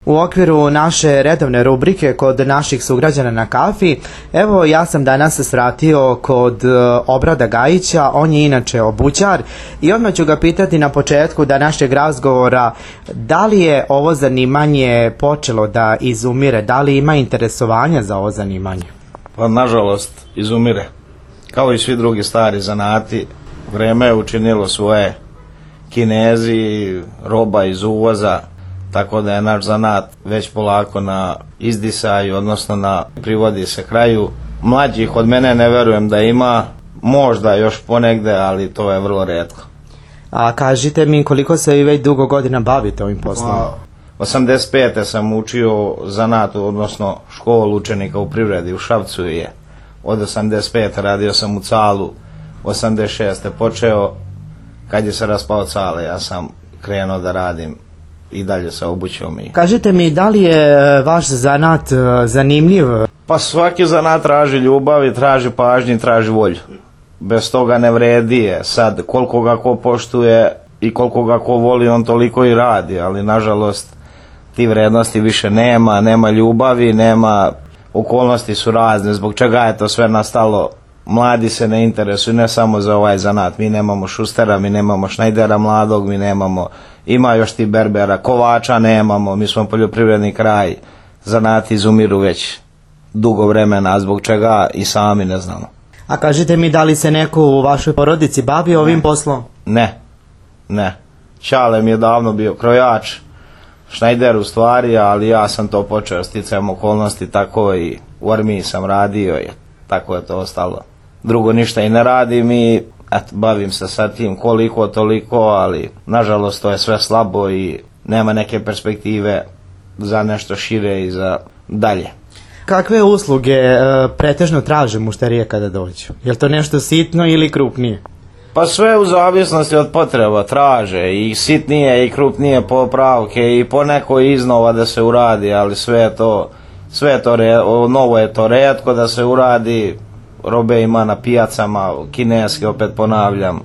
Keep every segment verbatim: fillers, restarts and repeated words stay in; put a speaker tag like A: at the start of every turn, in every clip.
A: U okviru naše redovne rubrike kod naših sugrađana na kafi, evo ja sam danas svratio kod Obrada Gajića, on je inače obućar i odmah ću ga pitati na početku današnjeg razgovora da li je ovo zanimanje počelo da izumire, da li ima interesovanja za ovo zanimanje?
B: Pa nažalost izumire, kao i svi drugi stari zanati, vreme je učinilo svoje. Kinezi, roba iz uvoza, tako da je naš zanat već polako na izdisaju, odnosno na privodi se kraju. Mlađih od mene ne verujem da ima, možda još ponegde, ali to je vrlo retko.
A: A kažite mi koliko se vi već dugo godina bavite ovim poslom?
B: osamdeset pete sam učio zanat, odnosno školu učenika u privredi u Šapcu je. Od osamdeset pete radio sam u Calu, osamdeset šeste počeo. Kad je se raspao Cale, ja sam krenuo da radim i dalje se obućio mi.
A: Kažite mi, da li je vaš zanat zanimljiv?
B: Pa svaki zanat traži ljubav i traži pažnju i traži volju. Bez toga ne vredi je. Sad, koliko ga ko poštuje i koliko ga ko voli, on toliko i radi, ali nažalost ti vrednosti više nema, nema ljubavi, nema, okolnosti su razne, zbog čega je to sve nastalo. Mladi se ne interesuju ne samo za ovaj zanat, mi nemamo Šustera, mi nemamo Šnajdera mladog, mi nemamo, ima još ti berbera, kovača nemamo, mi smo poljoprivredni kraj, zanati izumiru već dugo vremena, a zbog čega i sami ne znamo.
A: A kažite mi, da li se neko u vašoj porodici bavi ovim poslom?
B: Ne, ne. Čale mi je davno bio krojač, Šnajder u stvari, ali ja sam to počeo sticajem okolnosti, tako i u armiji sam radio i tako je to ostalo. Drugo ništa i ne radim i eto, bavim se sa tim koliko toliko, ali nažalost to je sve slabo i nema neke perspektive za nešto šire i za dalje.
A: Kakve usluge e, pretežno traže mušterije kada dođu? Je li to nešto sitno ili krupnije?
B: Pa sve u zavisnosti od potreba traže i sitnije i krupnije popravke i poneko iznova da se uradi, ali sve je to, sve je to re, novo je to retko da se uradi. Robe ima na pijacama, kineske opet ponavljam,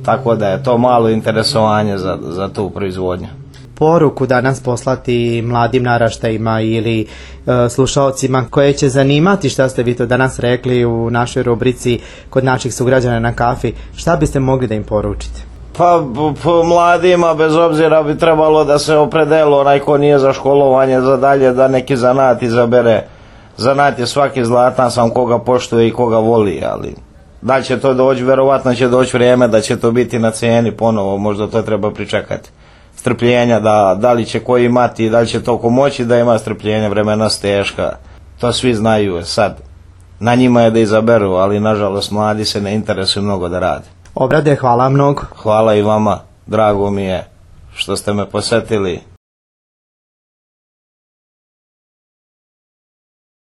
B: tako da je to malo interesovanje za, za tu proizvodnju.
A: Poruku danas poslati mladim naraštajima ili e, slušaocima koje će zanimati šta ste vi to danas rekli u našoj rubrici kod naših sugrađana na kafi, šta biste mogli da im poručite?
B: Pa po mladima bez obzira bi trebalo da se opredelo onaj ko nije za školovanje za dalje da neki zanat izabere. Zanat je svaki zlatan, sam koga poštuje i koga voli, ali da li će to doći, verovatno će doći vrijeme da će to biti na cijeni ponovo, možda to treba pričekati. Strpljenja, da, da li će ko imati, da li će to ko moći da ima strpljenja, vremena su teška, to svi znaju sad. Na njima je da izaberu, ali nažalost mladi se ne interesuju mnogo da rade.
A: Obrade, hvala mnogo.
B: Hvala i vama, drago mi je što ste me posjetili.